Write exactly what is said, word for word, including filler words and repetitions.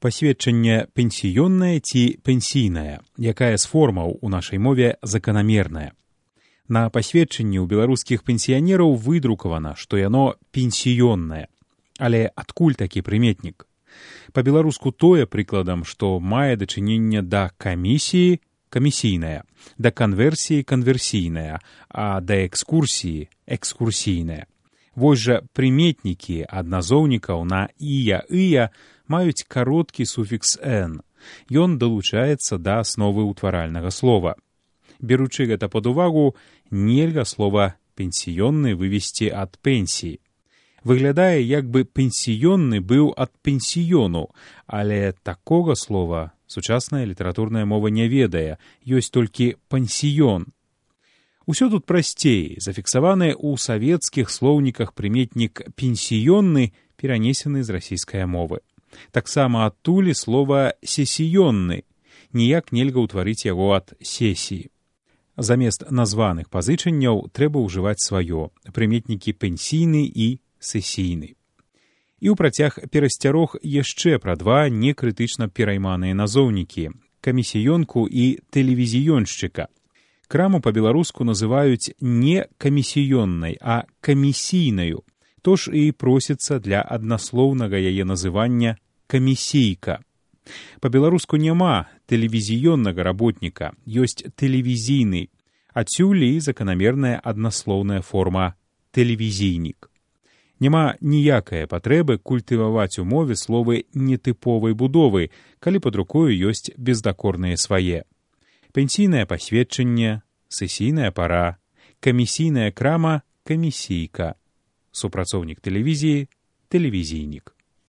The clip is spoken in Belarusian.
Пасведчанне пенсіённае ці пенсійнае, якая з формаў у нашай мове заканамерная. На пасведчанні ў беларускіх пенсіянераў выдрукавана, што яно пенсіённае. Але адкуль такі прыметнік? Па-беларуску тое прыкладам, што мае дачыненне да камісіі камісійная, да канверсіі канверсійная, а да экскурсіі экскурсійная. Вось жа прыметнікі ад назоўнікаў на ія, ыя маюць кароткі суфікс «н». Ён далучаецца да асновы ўтваральнага слова. Беручы гэта пад увагу, нельга слова «пенсіённы» вывесці ад пенсіі. Выглядае, як бы пенсіённы быў ад пенсіёну, але такога слова сучасная літаратурная мова не ведае, ёсць толькі пансіён. Усё тут прасцей, зафіксаваны ў савецкіх слоўніках прыметнік «пенсіённы» перанесены з расійскай мовы. Таксама адтуль слова «сесіённы», ніяк нельга ўтварыць яго ад сесіі. Замест названых пазычанняў трэба ўжываць сваё, прыметнікі пенсійны і сесійны. І ў працяг перасцярог яшчэ пра два некрытычна перайманыя назоўнікі – камісіёнку і тэлевізіёншчыка. Краму па-беларуску называюць не камісіённай, а камісійнаю. То ж і просіцца для аднаслоўнага яе называння камісійка. Па-беларуску няма тэлевізіённага работніка, ёсць тэлевізійны, адсюль і заканамерная аднаслоўная форма тэлевізійнік. Няма ніякае патрэбы культываваць у мове словы нетыповай будовы, калі пад рукою ёсць бездакорныя свае. Пенсійнае пасведчанне, сесійная пара, камісійная крама, камісійка. Супрацоўнік тэлевізіі, тэлевізійнік.